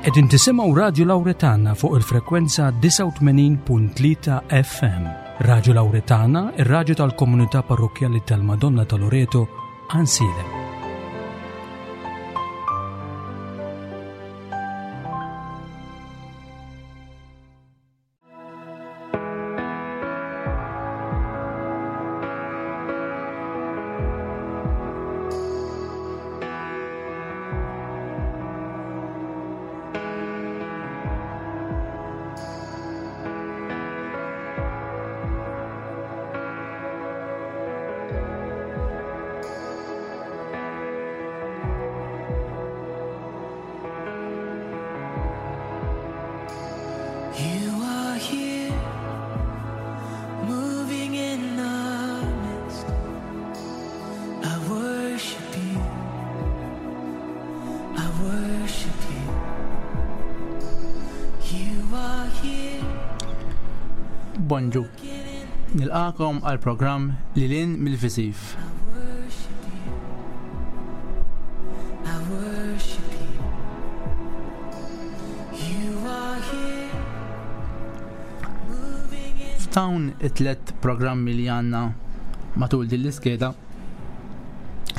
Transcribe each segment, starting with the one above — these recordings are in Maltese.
Qegħdin tisimgħu Radju Lawretana fuq il-frekwenza 89.3 FM. Radju Lawretana, ir-radju tal-komunità parrokkjali tal-Madonna ta' Loreto, Ansilem. You are here, moving in our midst. I worship you. I worship you. You are here. Bonġu. Nilqakom għal programm Lilin mill-Viżiv. I worship you. I worship you. You are here, moving in F'dawn it-tlet programmi li għandna matul din l-iskeda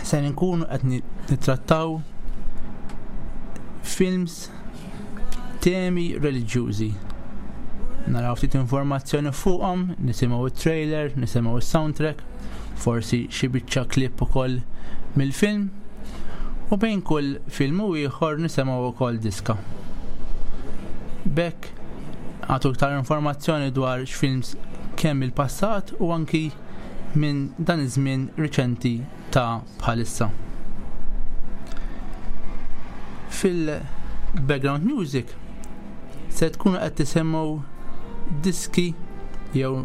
se nkunu qed nittrattaw films temi reliġjużi. Naraw ftit informazzjoni fuqhom, nisimgħu it-trailer, nisimgħu is-soundtrack, forsi xi biċċa clip ukoll mill-film u bejn kull film u ieħor nisimgħu wkoll diska. B'hekk għatu iktar informazzjoni dwar x'films kemm il-passat u anki minn dan iż-żmien riċenti ta' bħalissa. Fil-background music se tkunu qed tisimgħu diski jew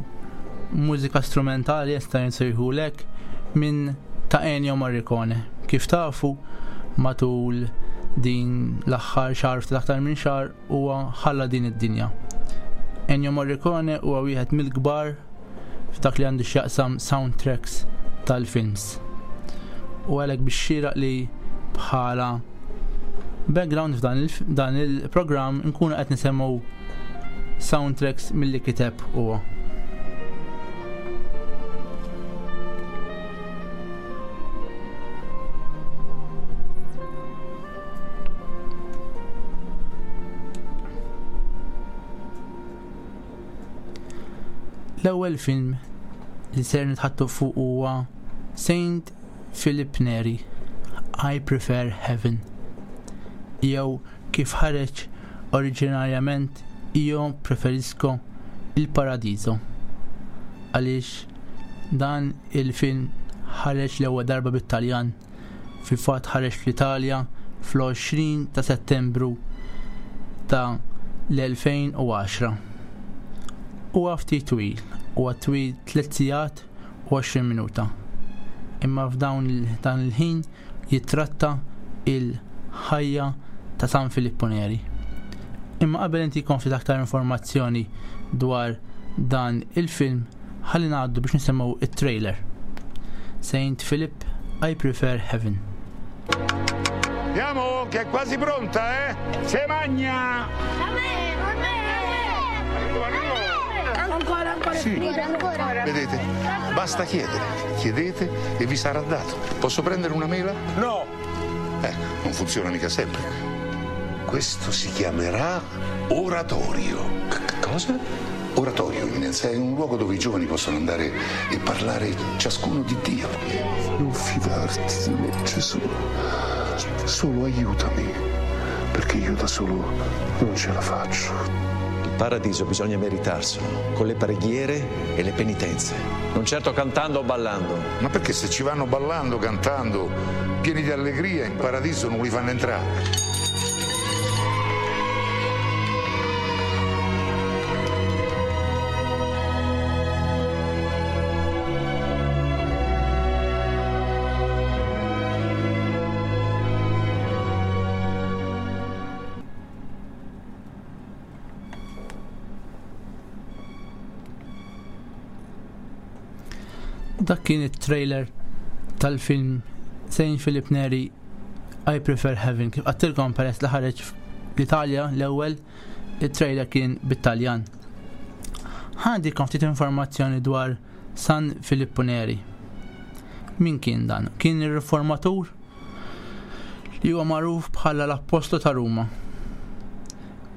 mużika strumentali jista' nsejħulek minn ta' Ennio Morricone. Kif tafu matul din l-aħħar xahar ftit aktar minn xahar huwa ħalla din id-dinja. Ennio Morricone huwa wieħed mill-kbar f'dak li għandu x'jaqsam soundtracks tal-films. U għalhekk biex xieraq li bħala background f'dan il-programm nkunu qed nisemgħu soundtracks milli kiteb huwa. L-ewwel film li ser nitħattu fuq huwa Saint Philip Neri, I Prefer Heaven. Jew kif ħareġ oriġinarjament Io Preferisco il Paradiso. Għaliex dan il-film ħareġ l-ewwel darba bit-Taljan. Fil-fatt ħareġ fl-Italja fl-20 ta' Settembru ta' l-2010. Huwa ftit twil, huwa twil 3 sigħat u 20 minuta. Imma f'dawn dan il-ħin jittratta il-ħajja ta' San Filippo Neri. Imma qabel intikom ftit aktar informazzjoni dwar dan il-film, ħalli ngħaddu biex nisimgħu it-trailer. Saint Philip, I Prefer Heaven. Andiamo, che è quasi pronta, eh? Se magna! Ancora, ancora, Sì. finita, ancora. Vedete? Basta chiedere. Chiedete e vi sarà dato. Posso prendere una mela? No! Ecco, non funziona mica sempre. Questo si chiamerà oratorio. C- cosa? Oratorio, Eminenza, è un luogo dove i giovani possono andare e parlare ciascuno di Dio. Non fidarti di me, Gesù. Solo aiutami, perché io da solo non ce la faccio. Il paradiso bisogna meritarselo, con le preghiere e le penitenze, non certo cantando o ballando. Ma perché se ci vanno ballando, cantando, pieni di allegria, in paradiso non li fanno entrare? Dak kien it-trailer tal-film Saint Philip Neri I Prefer Heaven kif għattilkom peress li ħareġ l-Italja l-ewwel it-trailer kien bit-Taljan. Ħandikom ftit informazzjoni dwar San Filippo Neri. Min kien dan? Kien ir-riformatur li huwa magħruf bħala l-Appostlu ta' Ruma.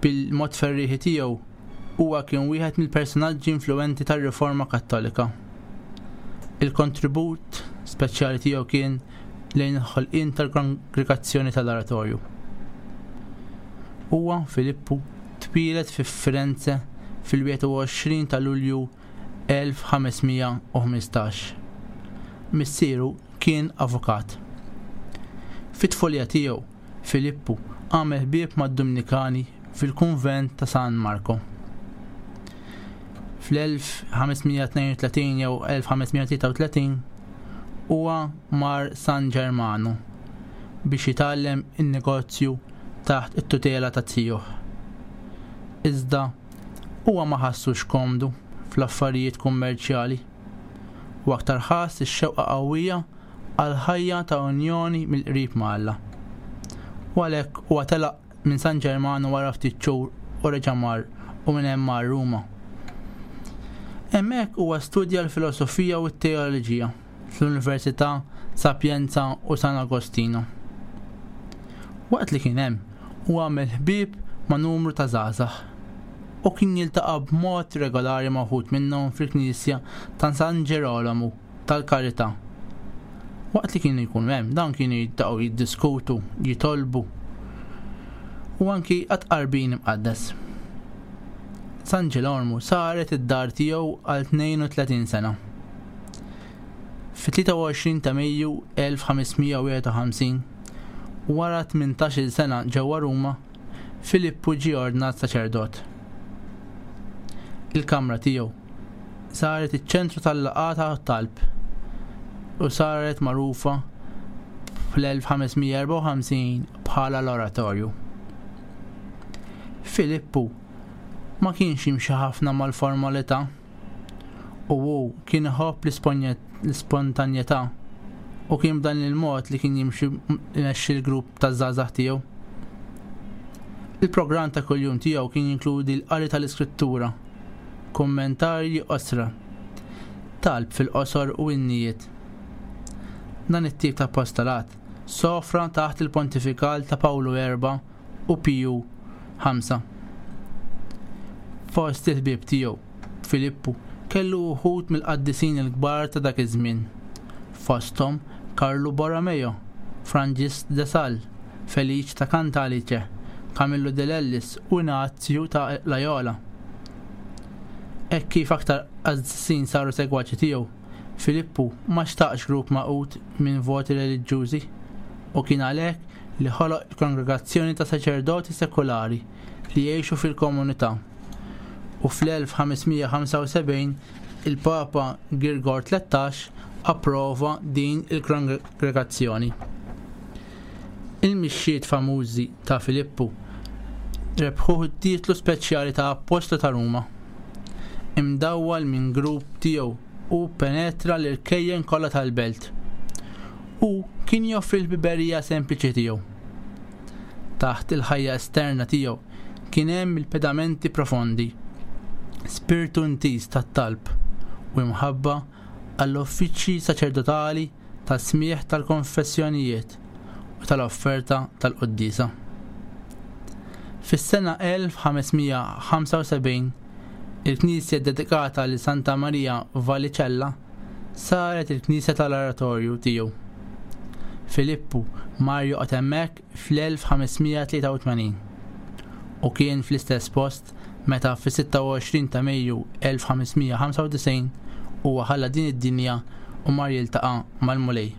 Bil-mod ferrieħi tiegħu huwa kien wieħed mill-personaġġi influwenti tar-Riforma Kattolika. Il-kontribut speċjali tiegħu kien lejn il-ħolqien tal-Kongregazzjoni tal-Oratorju. Huwa Filippu twieled fi Firenze fil-21 ta' Lulju 1515. Missieru kien avukat. Fit-tfulija tiegħu, Filippu għamel ħbieb mad-Dumnikani fil-kunvent ta' San Marco. Fl-1532 jew 1533 huwa mar San Ġermanu biex jitgħallem in-negozju taħt it-tutela ta' zijuh. Iżda huwa ma ħassux komdu fl-affarijiet kummerċjali u aktar ħass ix-xewqa qawwija għal ħajja ta' unjoni mill-qrib ma' Alla. U għalhekk huwa telaq minn San Ġermanu wara ftit xhur u reġa' mar u minn hemm mar Ruma. Hemmhekk huwa studja l-filosofija u t-teoloġija fl-Università Sapienza u San Agostino. Waqt li kien hemm, huwa għamel ħbieb ma' numru ta' żgħażagħ u kien jiltaqa' b'mod regolari ma' wħud minnhom fil-knisja ta' San Ġerolomu tal-Karità. Waqt li kienu jkunu hemm, dawn kienu jiltaqgħu jiddiskutu, jitolbu u anki għat-tqarbin imqaddes. San Ġelormu saret id-dar tiegħu għal 32 sena. Fit-23 ta' Mejju 1551, wara 18-il sena ġewwa Ruma, Filippu ġie ordnat saċerdot. Il-kamra tiegħu saret iċ-ċentru tal-laqgħat għat-talb u saret magħrufa fl-1554 bħala l-Oratorju. Filippu ma kienx jimxi ħafna mal-formalità u hu kien iħobb l-ispontanjetà u kien b'dan il-mod li kien jimxi jmexxi l-grupp taż-żgħażagħ tiegħu. Il-programm ta' kuljum tiegħu kien jinkludi l-qari tal-Iskrittura, kummentarji qosra, talb fil-qosor u innijiet. Dan it-tip ta' apostolat sofra taħt il-pontifikal ta' Pawlu Erba' u Piju Ħamsa. Fost il-ħbieb tiegħu, Filippu kellu wħud mill-qaddisin il-kbar ta' dak iż-żmien, fosthom Karlu Borromeo, Franġisk de Sales, Feliċ ta' Cantalice, Kamillu de Lellis u Inazju ta' Loyola. Hekk kif aktar qaddisin saru segwaċi tiegħu, Filippu ma xtaqx grupp magħqud minn voti reliġjużi u kien għalhekk li ħoloq il-kongregazzjoni ta' saċerdoti sekulari li jgħixu fil-komunità. U fl-1575 il-Papa Girgor 13 approva din il-kongregazzjoni. Il-mixjiet famużi ta' Filippu rebħuh it-titlu speċjali ta' Appostlu ta' Ruma. Imdawwal minn grupp tiegħu hu ppenetra l-irkejjen kollha tal-belt. Hu kien joffri l-ħbiberija sempliċi tiegħu. Taħt il-ħajja esterna tiegħu kien hemm il-pedamenti profondi, spirtu intiż tat-talb u imħabba għall-uffiċċji saċerdotali tas-smigħ tal-konfessjonijiet u tal-offerta tal-quddiesa. Fis-sena 1575, il-knisja ddedikata lil Santa Maria Vallicella saret il-knisja tal-oratorju tiegħu. Filippu mar joqgħod hemmhekk fl-1583 u kien fl-istess post meta fis-26 ta' Mejju 1595 huwa ħalla din id-dinja u mar jiltaqa' mal-Mulej.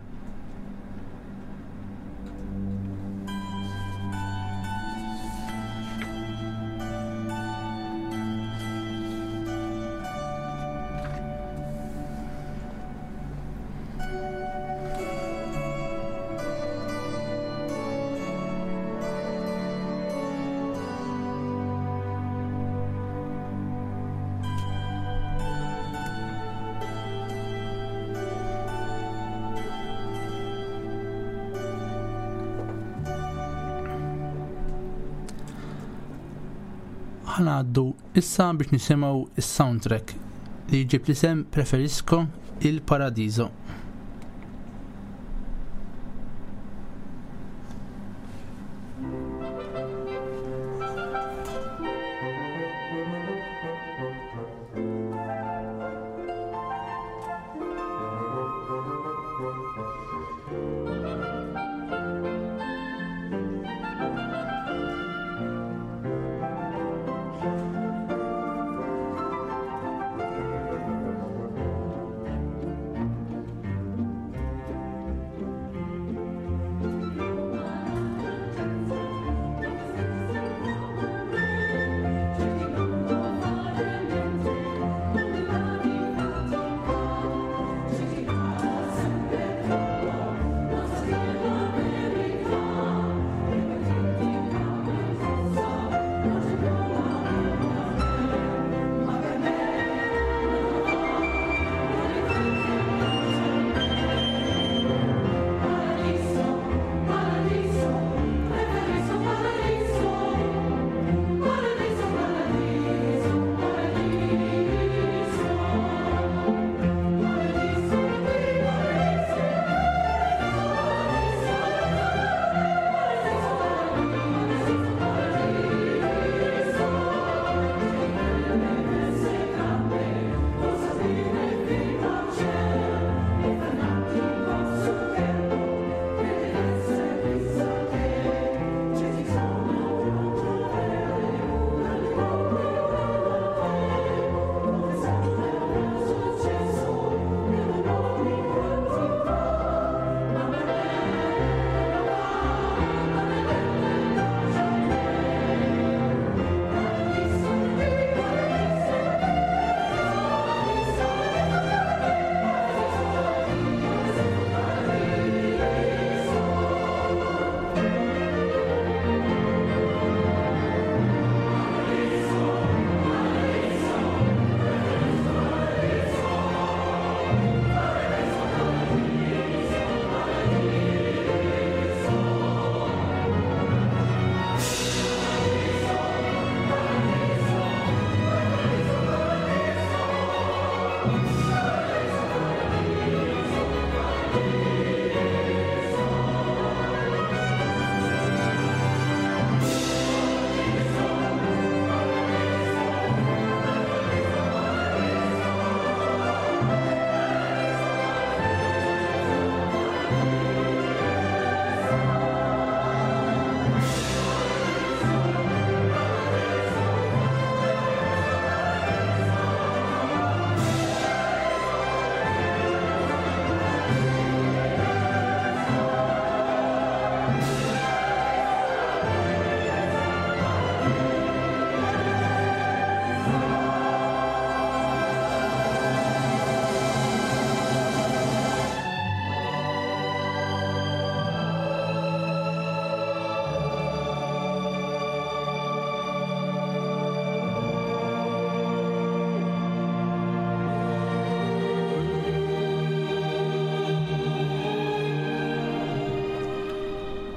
Ħa ngħaddu issa biex nisimgħu s-soundtrack li jġib l-isem Preferisco il Paradiso.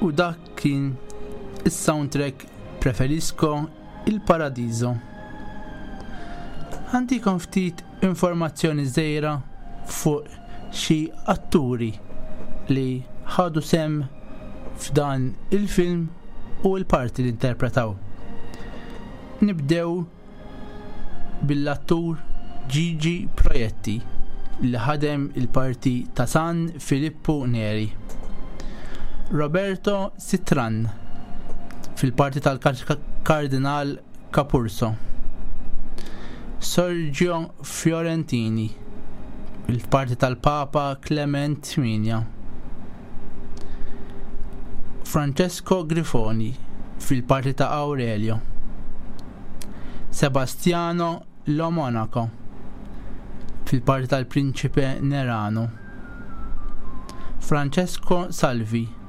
U dak kien is-soundtrack Preferisco il Paradiso. Għandikom ftit informazzjoni żgħira fuq xi atturi li ħadu sem f'dan il-film u l-parti li interpretaw. Nibdew bil-attur Gigi Proietti li ħadem il-parti ta' San Filippo Neri. Roberto Citran fil-parti tal-Kardinal Capurso. Sergio Fiorentini il-parti tal-Papa Clement VIII. Francesco Grifoni fil-parti ta' Aurelio. Sebastiano Lo Monaco fil-parti tal-Prinċipe Nerano. Francesco Salvi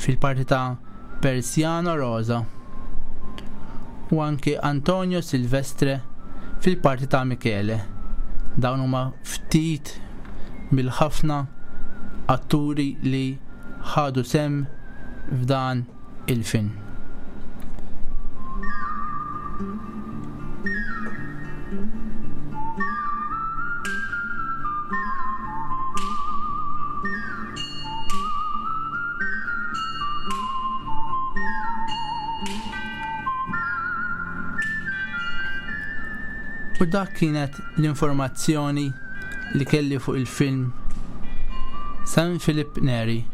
fil-parti ta' Persiano Rosa u anke Antonio Silvestre fil-parti ta' Michele. Dawn huma ftit mill-ħafna atturi li ħadu sehem f'dan il-film. U dak kienet l-informazzjoni li kelli fuq il-film San Philip Neri.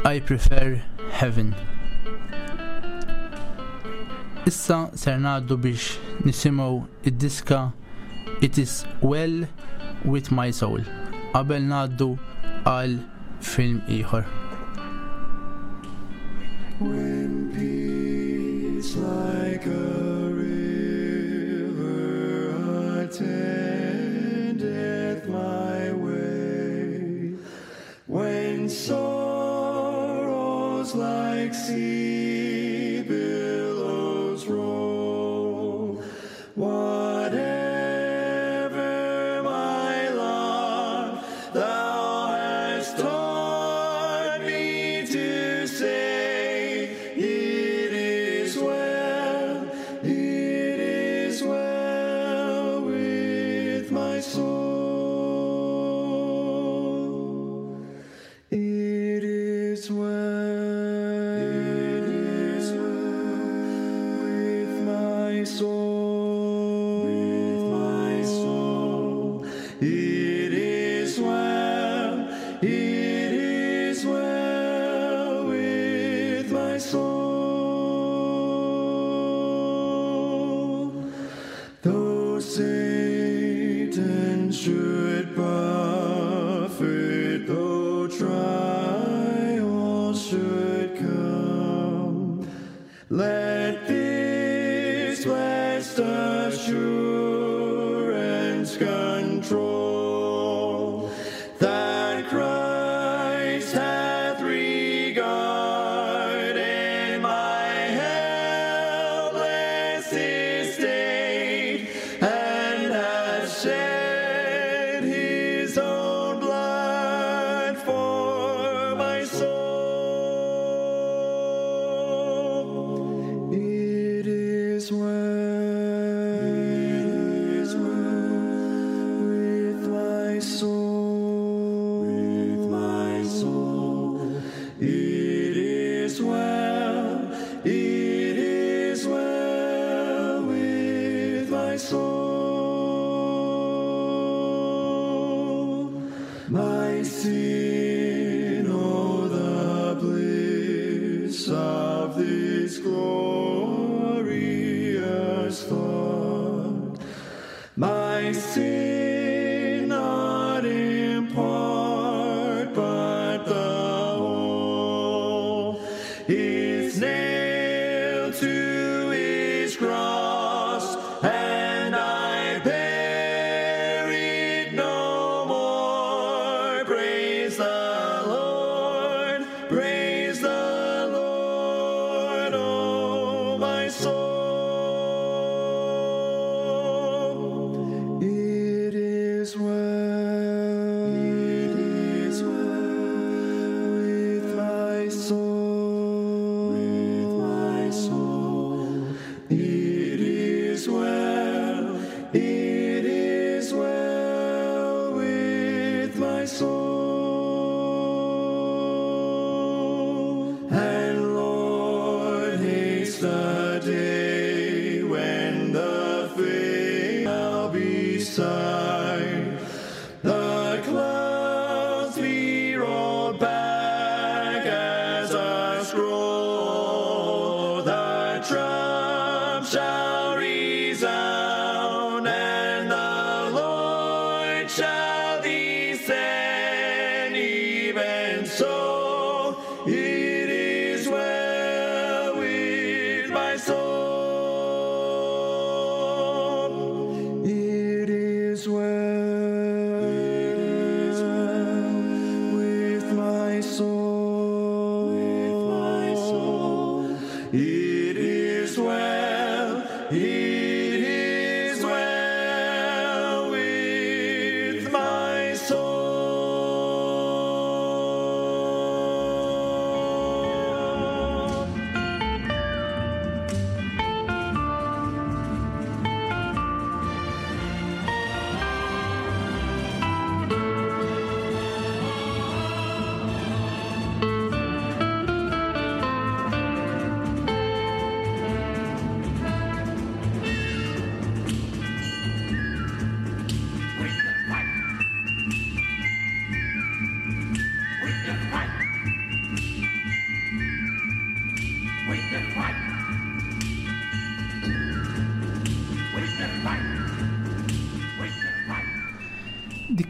I prefer heaven. Issa ser ngħaddu biex nisimgħu id-diska It is well with my soul qabel ngħaddu għal film ieħor. When peace like a river attendeth my way, when sorrows like sea billows roll, whatever my lot, thou hast taught me to say, it is well, it is well with my soul. It is well, it is well with my soul, with my soul. It is well, it is well with my soul. Though Satan should buffet, though trials should come, let this blessed assurance control that Christ hath regarded my helpless estate and hath shed his own blood for my soul. It is well, it is well with my soul, with my soul. It is well, it is well with my soul. My sin, oh, the bliss of this glorious thought. My sin, not in part, but the whole, is nailed to his cross, and I bear it no more. Praise the Lord, praise the Lord, oh my soul. It is well, it is well with my soul, with my soul. It is well, it is well with my soul. And Lord, haste the day when the faith shall be sight. The clouds be rolled back as a scroll. The trump shall resound, and the Lord shall descend. Even so, it is well with my soul. It is well, it is well with my soul, with my soul. It is well, it is well with my soul.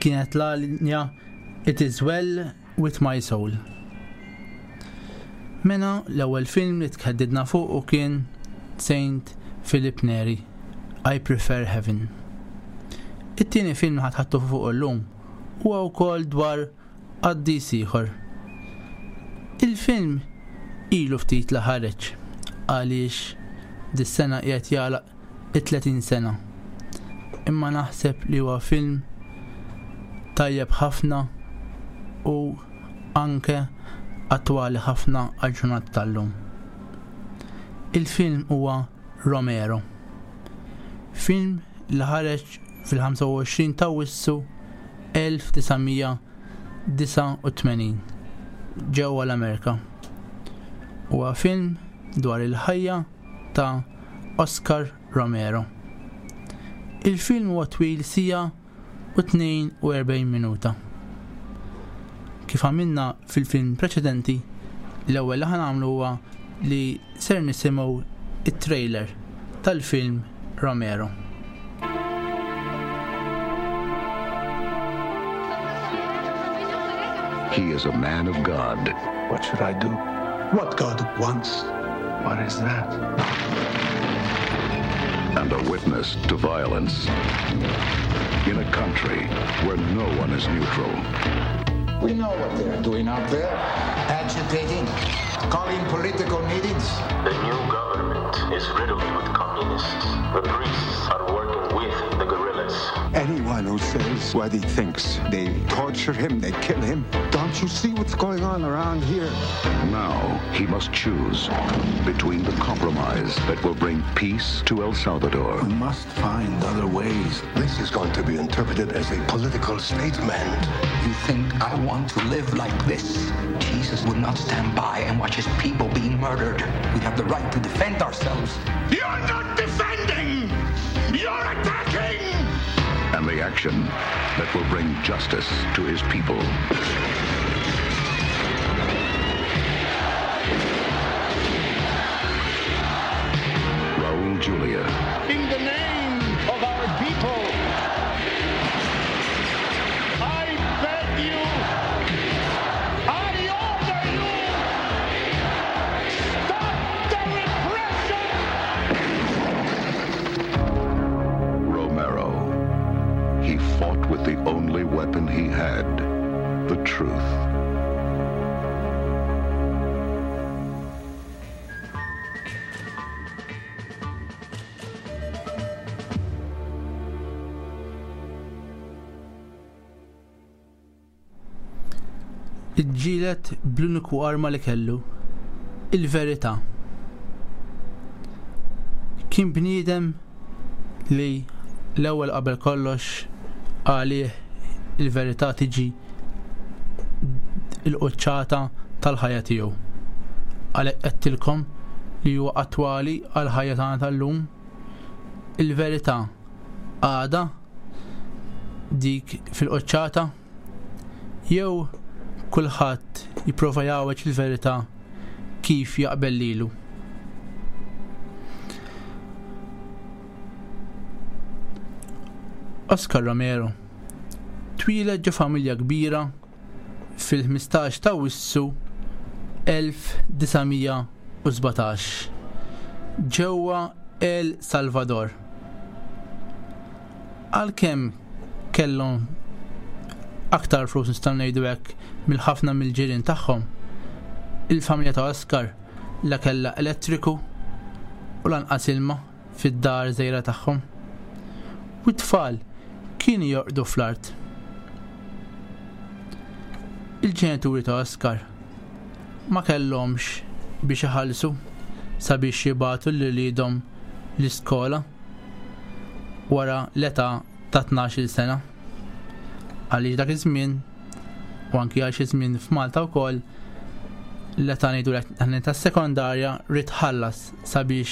kienet l-għanja It Is Well With My Soul. Mena l-ewwel film li tkeddidna fuqu kien Saint Philip Neri, I Prefer Heaven. It-tieni film li ħatħattu fuq illum huwa wkoll dwar qaddis ieħor. Il-film ilu ftit li ħareġ għaliex dis-sena qiegħed jagħlaq it-30 sena. Imma naħseb li huwa film tajjeb ħafna u anke attwali ħafna għal-ġurnata tal-lum. Il-film huwa Romero. Film li ħareġ fil-25 ta' Awwissu 1989 ġewwa l-Amerika. Huwa film dwar il-ħajja ta' Oscar Romero. Il-film huwa twil siegħa u 42 minuta. Kif għamilna fil-film preċedenti, l-ewwel li ħa nagħmlu huwa li ser nisimgħu it-trailer tal-film Romero. He is a man of God. What should I do? What God wants. What is that? And a witness to violence. In a country where no one is neutral. We know what they're doing out there. Agitating, calling political meetings. The new government is riddled with communists. The priests are working with the guerrillas. Anyone who says what he thinks, they torture him, they kill him. Don't you see what's going on around here? Now he must choose between the compromise that will bring peace to El Salvador. We must find other ways. This is going to be interpreted as a political statement. You think I want to live like this? Jesus would not stand by and watch his people being murdered. We have the right to defend ourselves. You're not defending! You're attacking! And the action that will bring justice to his people. Raul Julia. In the name of our people, I beg you, I order you, stop the repression! Romero. He fought with the only weapon he had, the truth. Iġġielet bl-uniku arma li kellu, il-verità. Kien bniedem li l-ewwel qabel kollox għalih il-verità tiġi il-quċċata tal-ħajja tiegħu. Għalhekk għedtilkom li huwa attwali għall-ħajja tagħna tal-lum. Il-verità għadha dik fil-quċċata jew kulħadd jipprova jgħawweġ il-verità kif jaqbel lilu. Oscar Romero twieled ġo familja kbira fil-15 ta' Awwissu 1917 ġewwa El Salvador. Għalkemm kellhom aktar flus nistgħu ngħidu hekk mill-ħafna mill-ġirien tagħhom, il-familja ta' Oscar la kellha elettriku u lanqas ilma fid-dar żgħira tagħhom. U t-tfal kienu jorqdu fl-art. Il-ġenituri ta' Oscar ma kellhomx biex iħallsu sabiex jibagħtu lil uliedhom l-iskola wara l-età ta' 12-il sena. Għaliex dak iż-żmien u anki għal xi żmien f'Malta wkoll l-età ngħidu l tas-sekondarja rid tħallas sabiex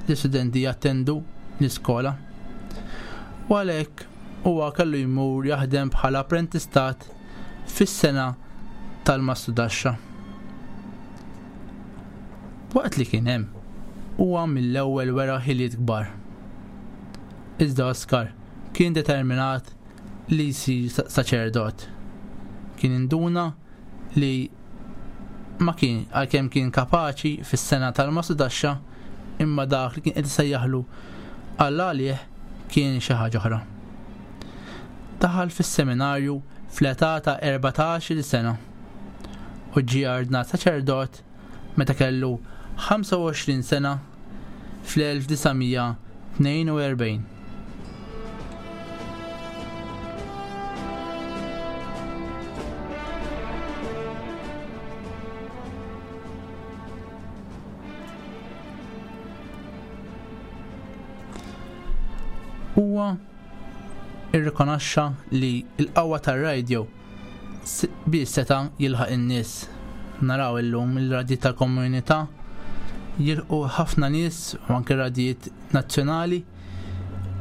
l-istudenti jattendu l-iskola. U għalhekk huwa kellu jmur jaħdem bħala apprentistat fis-sena tal-mastudaxxa. Waqt li kien hemm, huwa mill-ewwel wera ħiliet kbar. Iżda Oscar kien determinat li jsir saċerdot. Kien induna li ma kien għalkemm kien kapaċi fis-sena tal-mastudaxxa imma dak li kien qed isejjaħlu Alla għalih kien xi ħaġa oħra. Daħal fis-seminarju fl-età ta' 14-il sena u ġie ordnat saċerdot meta kellu 25 sena fl-1942. Huwa irrikonoxxa li l-qawwa tar-radio biss seta' jilħaq in-nies. Naraw illum il-radji tal-komunità jilħqu ħafna nies u anke radijiet nazzjonali,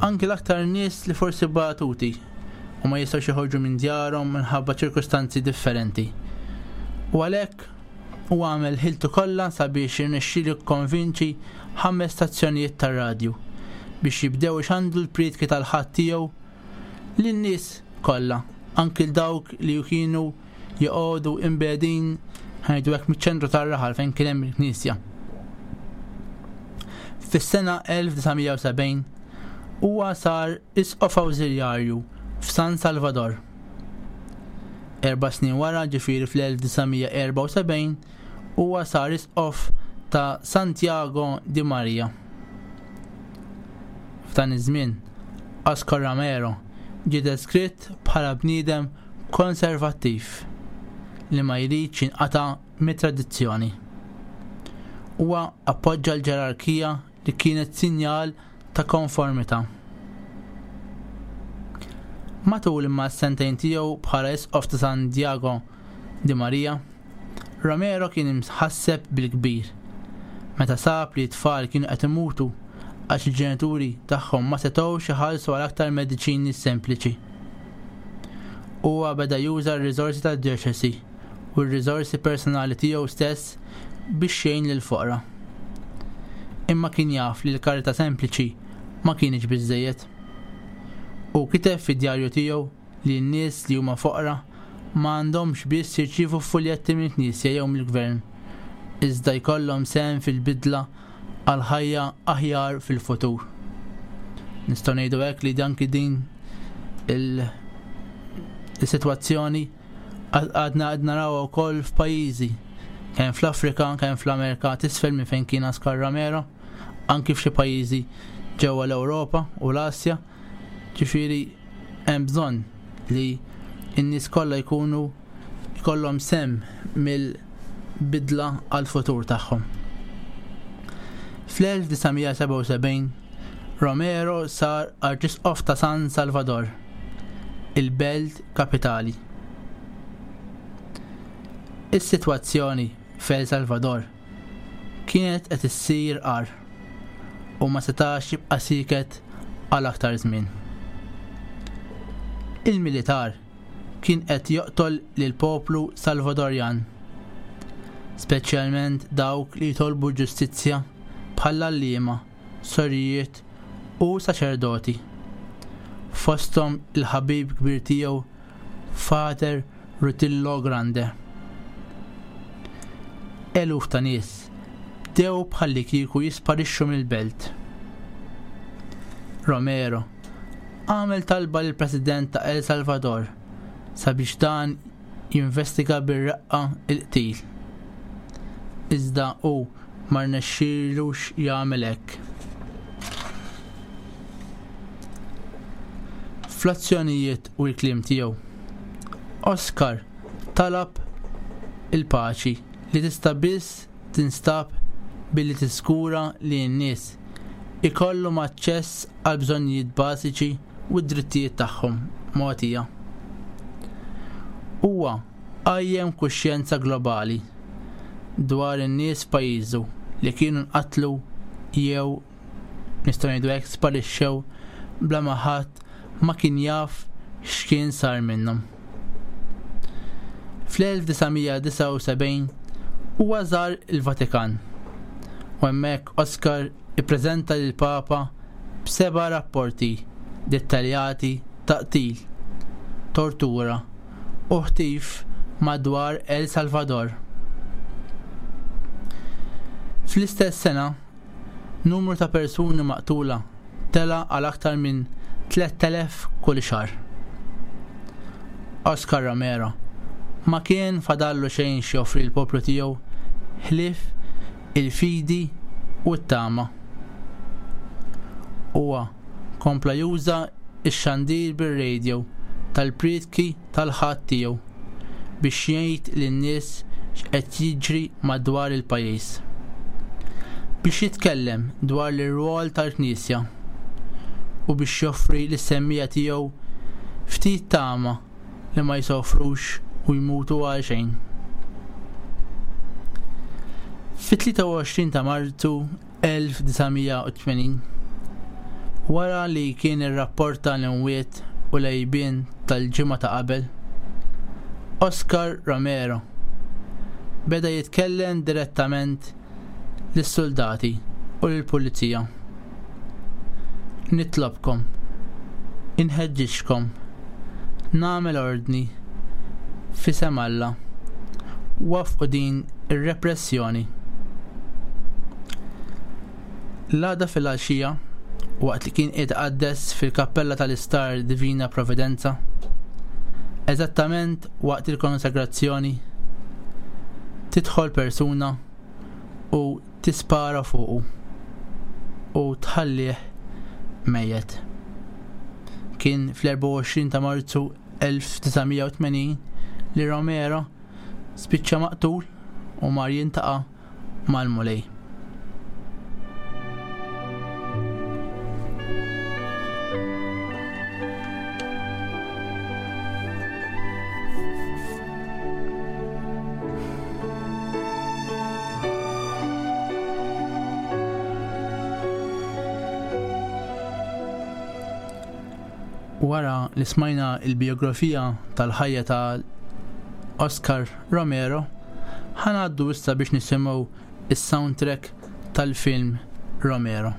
anke l-aktar nies li forsi batuti u ma jistgħux joħorġu minn djarhom minħabba ċirkustanzi differenti. U għalhekk u għamel ħiltu kollha sabiex jirnexxielu jikkonvinċi ħames stazzjonijiet tar-radju biex jibdew ixandru l-prietki tal-Ħadd tiegħu lin-nies kollha, anki l dawk li kienu joqogħdu imbegħdin ħajdu hekk miċ-ċentru tar-raħal fejn kien hemm il-knisja. Fis-sena 1970 huwa sar isqof awżiljarju f'San Salvador. Erba' snin wara, ġifieri fl-1974, huwa sar isqof ta' Santiago di Maria. F'dan iż-żmien, Oscar Romero ġie deskritt bħala bniedem konservattiv li ma jridx jinqata' mit-tradizzjoni. Huwa appoġġa l-ġerarkija li kienet sinjal ta' konformità. Matul imma s-sentejn tiegħu bħala isqof ta' San Diego di Maria, Romero kien imħasseb bil-kbir meta sab li t-tfal kienu qed imutu għax il-ġenituri tagħhom ma setgħux iħallsu għal aktar mediċini sempliċi. Huwa beda juża r-riżorsi tad-djoċesi u r-riżorsi personali tiegħu stess biex jgħin lill-foqra. Imma kien jaf li l-karità sempliċi ma kinitx biżżejjed. Hu kiteb fid-djarju tiegħu li n-nies li huma foqra ma għandhomx biss jirċievu fuljetti mill-Knisja jew mill-Gvern, iżda jkollhom sehem fil-bidla għal ħajja aħjar fil-futur. Nistgħu ngħidu hekk li anki din il-sitwazzjoni għadna qed narawha wkoll f'pajjiżi kemm fl-Afrika, kemm fl-Amerika t'isfel minn fejn kien Oscar Romero, anki f'xi pajjiżi ġewwa l-Ewropa u l-Asja. Ġifieri hemm bżonn li n-nies kollha jkunu jkollhom sehem mill-bidla għall-futur tagħhom. Fl-1977 Romero sar Arċisqof ta' San Salvador, il-belt kapitali. Is-sitwazzjoni f'El Salvador kienet qed issir agħar u ma setax jibqa' sieket għal aktar żmien. Il-militar kien qed joqtol lill-poplu Salvadorjan, speċjalment dawk li jitolbu ġustizzja bħall-għalliema, sorijiet u saċerdoti, fosthom il-ħabib kbir tiegħu Father Rutillo Grande. Eluf ta' nies bdew bħallikieku jisparixxu mill-belt. Romero għamel talba lill-President ta' El Salvador sabiex dan jinvestiga bir-reqqa l-qtil. Iżda hu ma rnexxielux jagħmel hekk. Fl-azzjonijiet u l-kliem tiegħu, Oscar talab il-paċi li tista' biss tinstab billi tiżgura li n-nies ikollhom aċċess għall-bżonnijiet bażiċi u d-drittijiet tagħhom mogħtija. Huwa qajjem kuxjenza globali dwar in-nies f'pajjiżu li kienu nqatlu jew nistgħu ngħidu hekk sparixxew bla ma ħadd ma kien jaf x'kien sar minnhom. Fl-1979 huwa żar il-Vatikan u hemmhekk Oscar ippreżenta lill-Papa b'seba' rapporti dettaljati ta' qtil. tortura u ħtif madwar El Salvador. Fl-istess sena, numru ta' persuni maqtula tela' għal aktar minn 3,000 kull xahar. Oscar Romero ma kien fadallu xejn x'joffri l-poplu tiegħu ħlief il-fidi u t-tama. Huwa kompla juża x-xandir bir-radio tal-prietki tal-Ħadd tiegħu biex jgħid lin-nies x'qed jiġri madwar il-pajjiż. Biex jitkellem dwar l-irwol tal-Knisja u biex joffri lis-semmiegħa tiegħu ftit tama li ma jsofrux u jmutu għal xejn. Fit-23 ta' Marzu 1980, wara li kien irrapporta l-imwiet u l-għejbien tal-ġimgħa ta' qabel, Oscar Romero beda jitkellem direttament lis-suldati u lill-pulizija. Nitlobkom, inħeġġiġkom, nagħmel ordni, f'isem Alla, waffqu din ir-repressjoni. L-għada filgħaxija, waqt li kien qiegħed iqaddes fil-kappella tal-Istar Divina Providenza, eżattament waqt il-konsagrazzjoni, tidħol persuna u tispara fuqu u tħallih mejjet. Kien fl-24 ta' Marzu 1980 li Romero spiċċa maqtul u mar jintaqa' mal-Mulej. Wara li smajna il-biografija tal-ħajja ta' Oscar Romero, ħanaddu issa biex nisimgħu is-soundtrack tal-film Romero.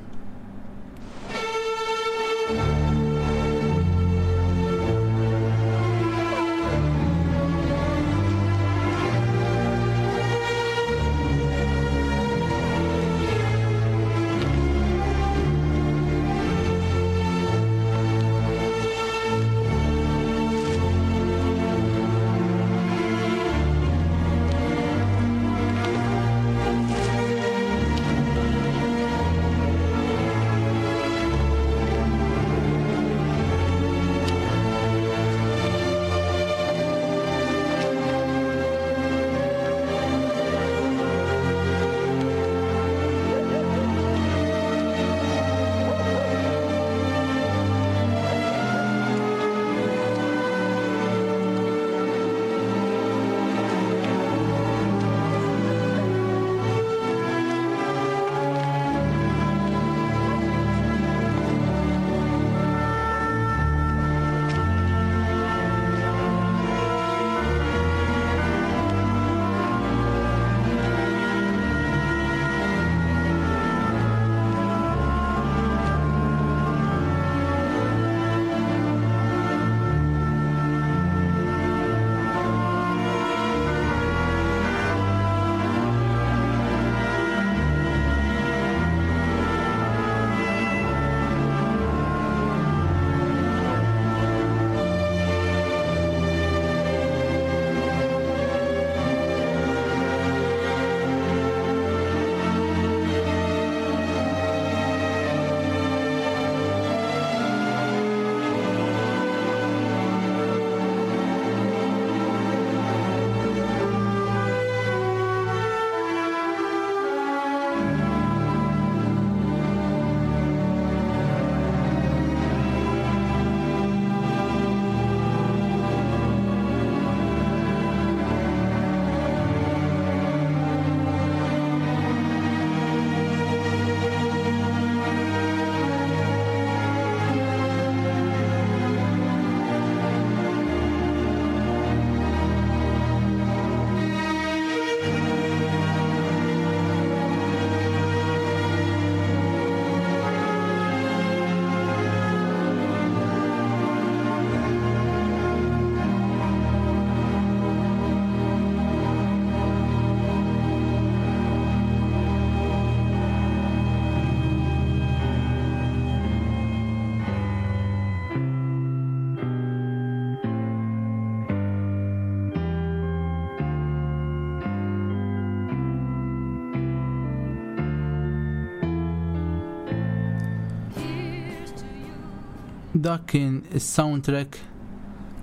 Dak kien is-soundtrack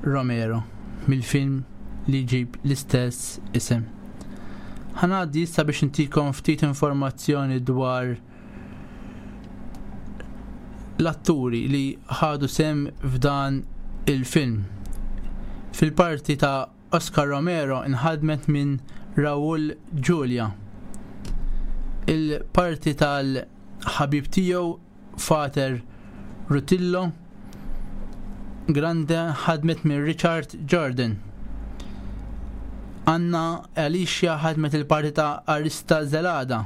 Romero mill-film li jġib l-istess isem. Ħanaddi issa biex intikom ftit informazzjoni dwar l-atturi li ħadu sem f'dan il-film. Fil-parti ta' Oscar Romero inħadmet minn Raul Julia. Il-parti tal-ħabib tiegħu Fater Rutillo Grande ħadmet minn Richard Jordan. Anna Alicia ħadmet il-parti ta' Arista Zelada.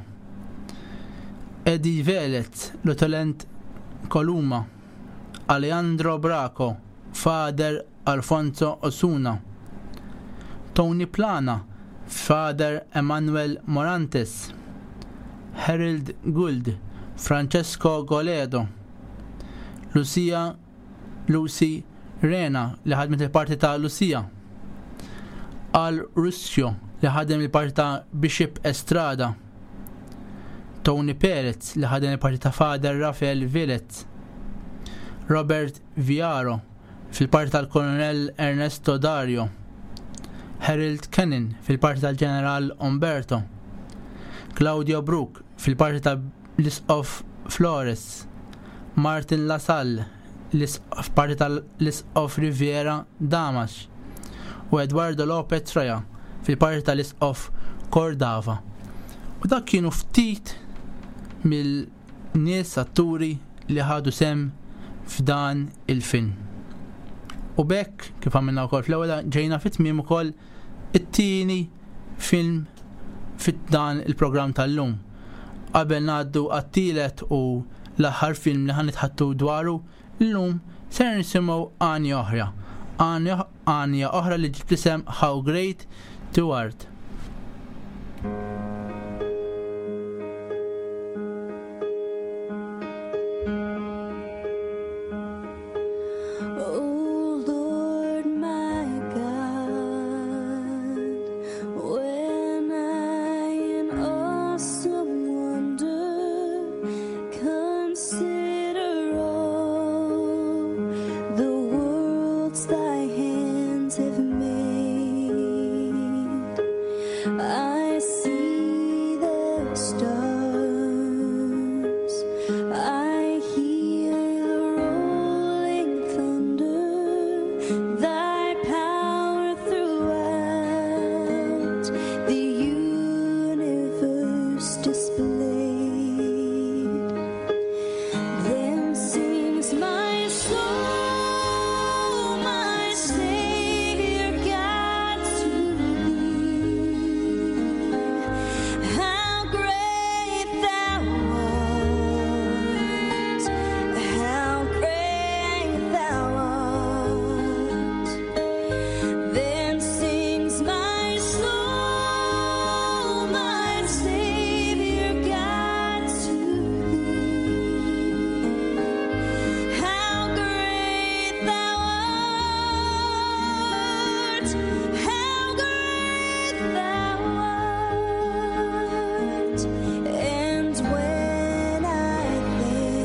Eddie Velez, Lieutenant Columa. Alejandro Braco, Father Alfonso Osuna. Tony Plana, Father Emmanuel Morantes. Harold Gould, Francesco Goledo. Lucia Lucy Rena li ħadmet il-parti ta' Lucia. Al Russio li ħadem il-parti ta' Bishop Estrada. Tony Perez li ħadem il-parti ta' Father Rafael Villet. Robert Viaro fil-parti tal-Kolonel Ernesto Dario. Harold Cannon fil-parti tal-Ġeneral Umberto. Claudio Brook fil-parti ta' l-Isqof Flores. Martin Lassalle f'parti tal-Isqof Riviera Damas u Eduardo Lopez Troya fil-parti tal-Isqof Cordava. U dak kienu ftit mill-nies atturi li ħadu sem f'dan il-film. U bekk, kif għamilna wkoll fl-ewwel, ġejna fit-tmiem ukoll it-tieni film fit-dan il-programm tal-lum. Qabel ngħaddu għat-tielet u l-aħħar film li ħanitħattu dwaru llum ser nisimgħu għanja oħra. Għanja oħra li ġib l-isem How Great Thou Art. O Lord my God, when I in awesome wonder consider all the worlds thy hands have made, I see the stars, I hear the rolling thunder, thy power throughout the universe displayed. Then sings my soul, my Savior God to thee. How great thou art, how great thou art. Then sings my soul, my Savior God to thee. How great thou art, how great thou art. And when I think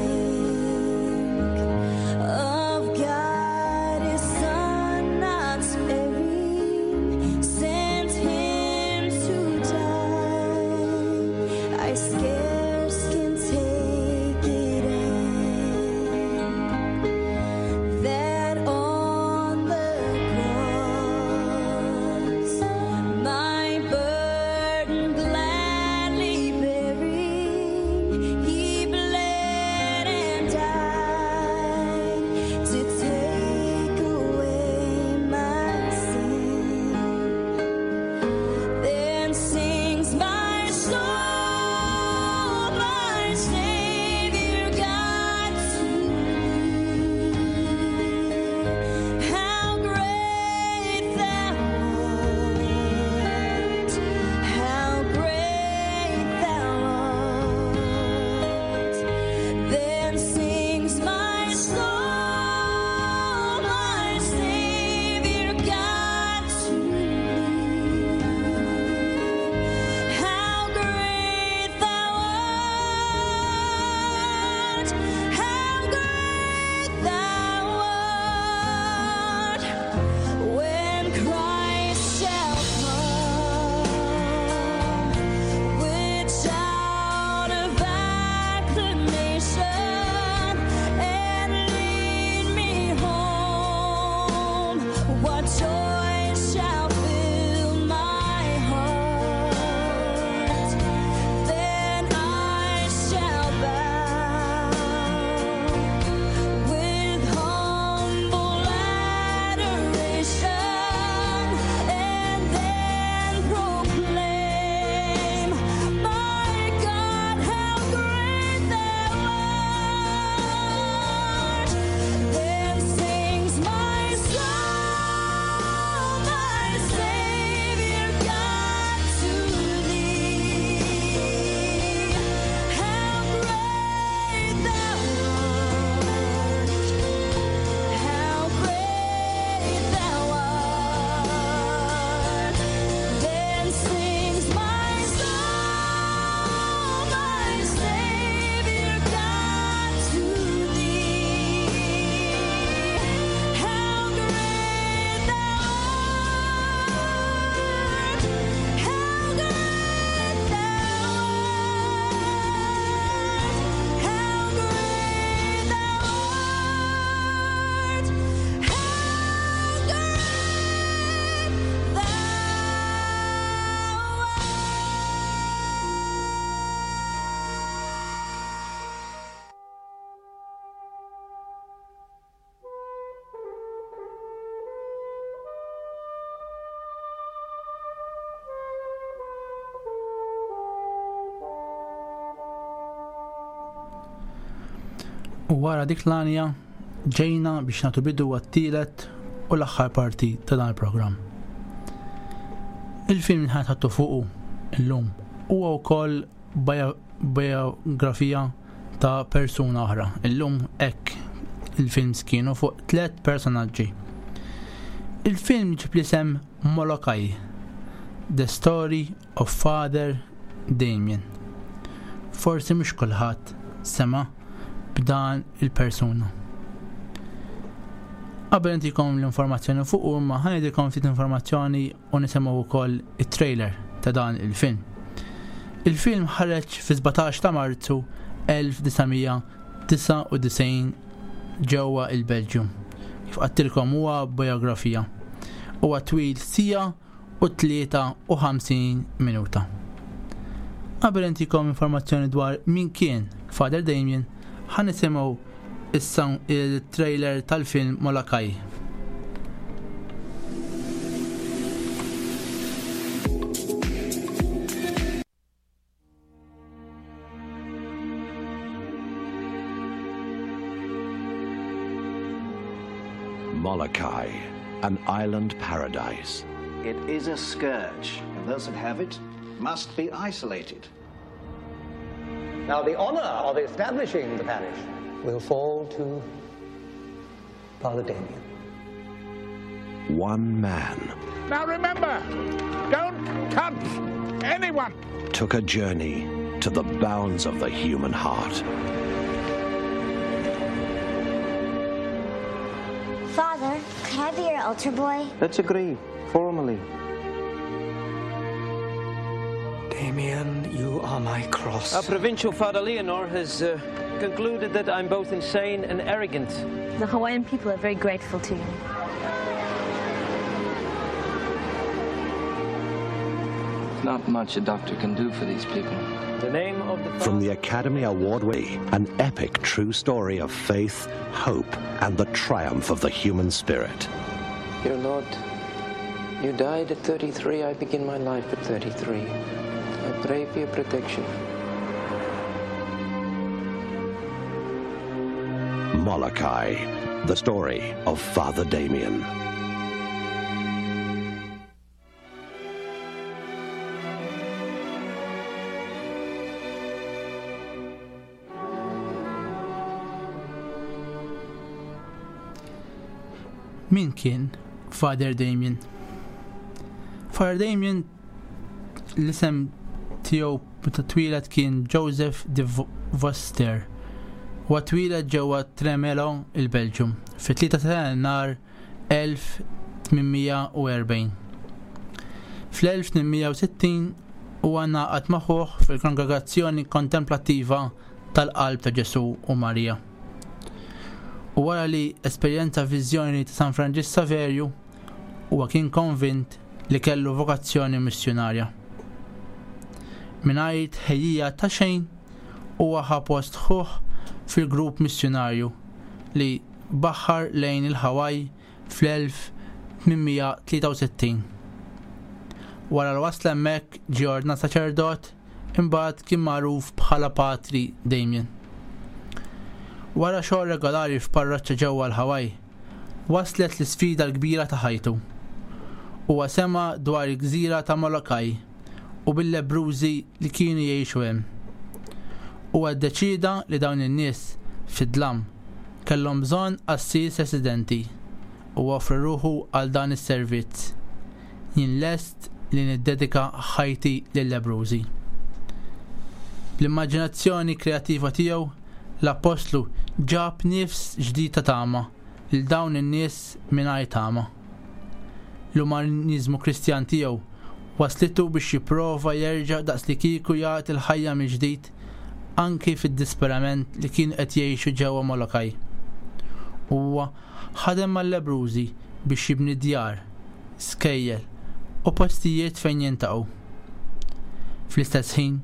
of God, His Son not sparing, sent Him to die, I scarce can take it in that on the cross my burden gladly bearing, He bled and died to take away my sin. Then sings my soul, U wara dik l-għanja ġejna biex nagħtu bidu għat-tielet u l-aħħar parti ta' dan il-programm. Il-film li ħattu fuqu illum huwa wkoll biografija ta' persuna oħra. Illum hekk il-films kienu fuq tliet personaġġi. Il-film ġib l-isem Molokai, The Story of Father Damien. Forsi mhux kulħadd sema' b'dan il-persuna. Qabel intikom l-informazzjoni fuq imma ħa ngħidilkom ftit informazzjoni u nisimgħu wkoll it-trailer ta' dan il-film. Il-film ħareġ fi 17 ta' Marzu 1999 ġewwa il-Belġju. Kif għedtilkom huwa biografija. Huwa twil siegħa u 53 minuta. Qabel intikom informazzjoni dwar min kien Father Damien, ħa nisimgħu il-trailer tal-film Molokai. Molokai, an island paradise. It is a scourge, and those that have it must be isolated. Now, the honor of establishing the parish will fall to Father Damien. One man. Now remember, don't touch anyone. Took a journey to the bounds of the human heart. Father, could I be your altar boy? Let's agree, formally. Damien, you are my cross. Our provincial Father Leonor has uh, concluded that I'm both insane and arrogant. The Hawaiian people are very grateful to you. Not much a doctor can do for these people. The name of the From the Academy Award way, an epic true story of faith, hope, and the triumph of the human spirit. Dear Lord, you died at 33. I begin my life at 33. I pray for your protection. Molokai, the story of Father Damien. Min kien Father Damien? Father Damien l-isem tiegħu meta twieled kien Joseph de Voster. Huwa twieled ġewwa Tremelo, il-Belġju, fit-3 ta' Jannar 1840. Fl-1860 huwa ngħaqad ma' ħuh fil-Kongregazzjoni Kontemplattiva tal-Qalb ta' Ġesù u Marija. U wara li esperjenza viżjoni ta' San Franġisk Saverju, huwa kien konvint li kellu vokazzjoni missjunarja. Mingħajr tħejjija ta' xejn, huwa ħa post ħuh fil-grupp missjunarju li baħħar lejn il-Hawaii fl-1863. Wara l-wasla hemmhekk ġie ordnat saċerdot imbagħad kien magħruf bħala Patri Damien. Wara xogħol regolari f'parroċċa ġewwa l-Hawaii, waslet l-isfida l-kbira ta' ħajtu. Huwa sema' dwar il-gżira ta' Molokai u bil-lebbrużi li kienu jgħixu hemm. Huwa ddeċieda li dawn in-nies, fid-dlam, kellhom bżonn qassis residenti u offra ruħu għal dan is-servizz. Jien lest li niddedika ħajti lil-lebbrużi. Bl-immaġinazzjoni kreattiva tiegħu, l-appostlu ġab nifs ġdid ta' tama lil dawn in-nies mingħajr tama. L-umaniżmu Kristjan tiegħu waslitu biex jipprova jerġa' daqslikieku jagħti l-ħajja mill-ġdid anki fid-disperament li kienu qed jgħixu ġewwa Molokai. Huwa ħadem mal-lebbrużi biex jibni djar, skejjel u postijiet fejn jintaqgħu. Fl-istess ħin,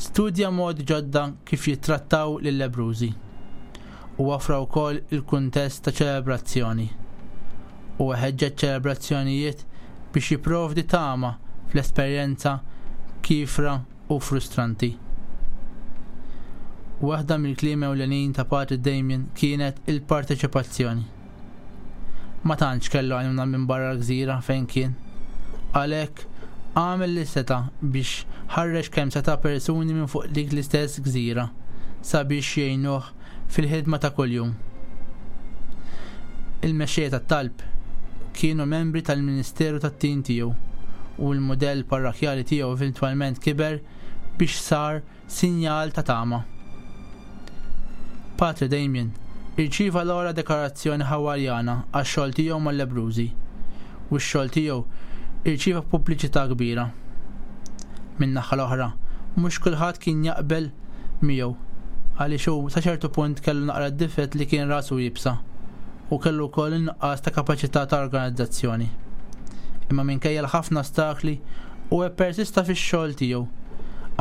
studja modi ġodda kif jittrattaw lil-lebbrużi. Huwa offra wkoll il-kuntest ta' ċelebrazzjoni. Huwa ħeġġeġ ċelebrazzjonijiet biex jipprovdi tama fl-esperjenza kiefra u frustranti. Waħda mill-kliem ewlenin ta' Patri Damien kienet il-parteċipazzjoni. Ma tantx kellu għajnuna minn barra l-gżira fejn kien. Għalhekk, għamel li seta' biex ħarreġ kemm seta' persuni minn fuq dik l-istess gżira sabiex jgħinuh fil-ħidma ta' kuljum. Il-mexxejja tat-talb kienu membri tal-ministeru tat-tin tiegħu u l-mudell parrokkjali tiegħu eventwalment kiber biex sar sinjal ta' tama. Patri Damien irċieva l-ogħla dekorazzjoni Hawaiiana għax-xogħol tiegħu mal-lebbrużi u x-xogħol tiegħu irċieva pubbliċità kbira. Min-naħa l-oħra, mhux kulħadd kien jaqbel miegħu għaliex hu sa ċertu punt kellu naqra d-difett li kien rasu iebsa u kellu wkoll in-nuqqas ta' kapaċità ta' organizzazzjoni. Imma minkejja l-ħafna ostakli hu ppersista fix-xogħol tiegħu,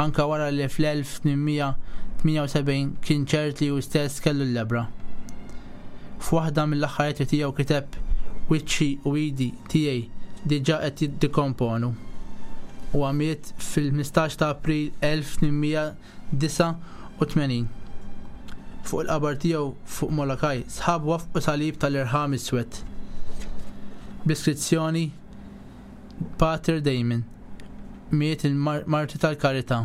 anke wara li fl-1878 kien ċert li hu stess kellu l-lebbra. F'waħda mill-aħħar ittri tiegħu kiteb, Wiċċi u idi tiegħi diġà qed jiddekomponu. Huwa miet fil-15 ta' April 1889. Fuq il-qabar tiegħu fuq Molokai, sħabu waffqu salib tal-irħam iswed bl-iskrizzjoni Pater Damien miet il-Martri tal-Karità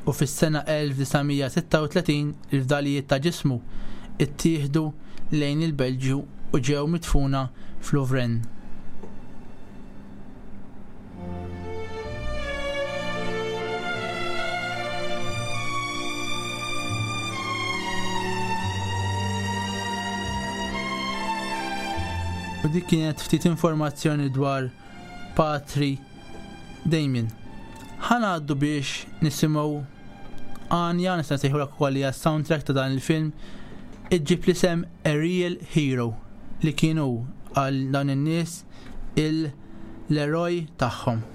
u fis-sena 1936 il-fdalijiet ta' ġismu ttieħdu lejn il-Belġju u ġew midfuna f'Louvain. U dik kienet ftit informazzjoni dwar Patri Damien. Ħa ngħaddu biex nisimgħu għanja nista' nsejħulha ukoll hija soundtrack ta' dan il-film iġġib l-isem A Real Hero li kienu għal dawn in-nies l-eroj tagħhom.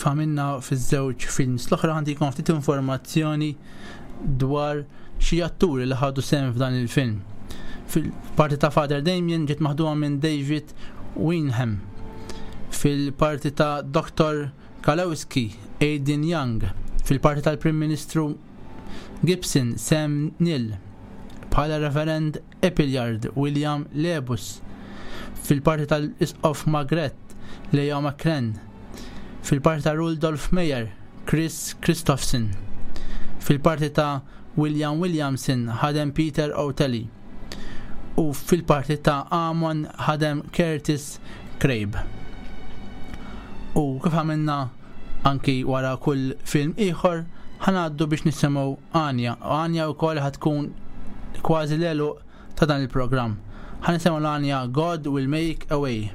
Kif għamilna fiż-żewġ films l-oħra ħantikom ftit informazzjoni dwar xi atturi li ħadu sehem f'dan il-film. Fil-parti ta' Father Damien ġiet maħduma minn David Winham. Fil-parti ta' Dr. Kalowski, Aiden Young. Fil-parti tal-Prim Ministru Gibson, Sam Neill. Bħala Reverend Appleyard, William Lebus. Fil-parti tal-Isqof Magret, Leo McCrann. Fil-parti ta' Rudolf Meyer, Chris Christofferson. Fil-parti ta' William Williamson ħadem Peter O'Telly. U fil-parti ta' Amon ħadem Curtis Crabe. U kif għamilna anki wara kull film ieħor, ħanaddu biex nisimgħu Anja. U Anja wkoll ħatkun kważi l-għeluq ta' dan il-programm. Ħanisimgħu l-Anja God Will Make a Way.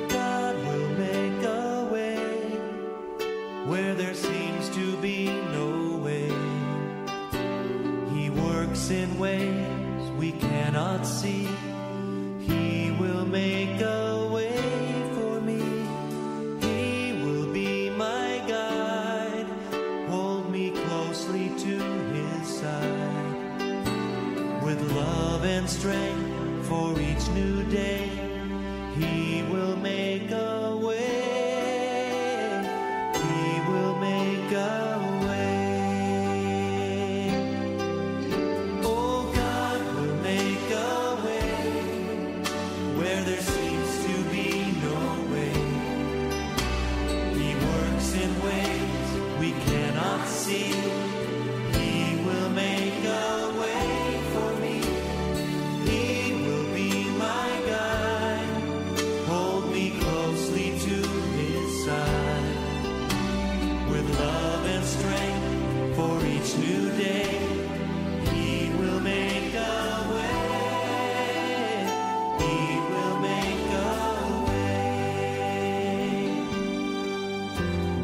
God will make a way where there seems to be no way. He works in ways we cannot see. He will make a way for me. He will be my guide. Hold me closely to his side. With love and strength for each new day, He will make a way. He will make a way. Oh, God will make a way where there seems to be no way. He works in ways we cannot see. He will make a way for me. He will be my guide. Hold me closely to his side. With love and strength for each new day, he will make a way. He will make a way.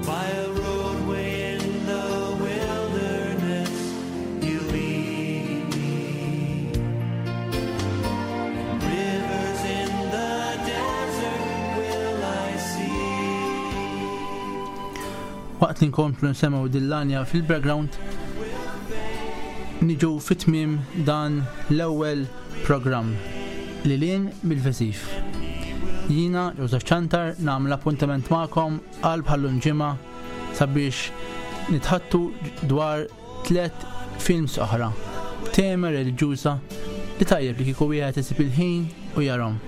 By a roadway in the wilderness, he'll lead me. Rivers in the desert will I see. Waqt li nkomplu nsemgħu dil-lanja fil-background, niġu fit-tmiem dan l-ewwel programm li lin mill-Vesif. Jina, Joseph Ċantar, nagħmel appuntament magħkom għal bħallum ġimgħa sabiex nitħattu dwar tlet films oħra. Tema reliġjuża li tajjeb li kieku wieħed isib il-ħin u jarhom.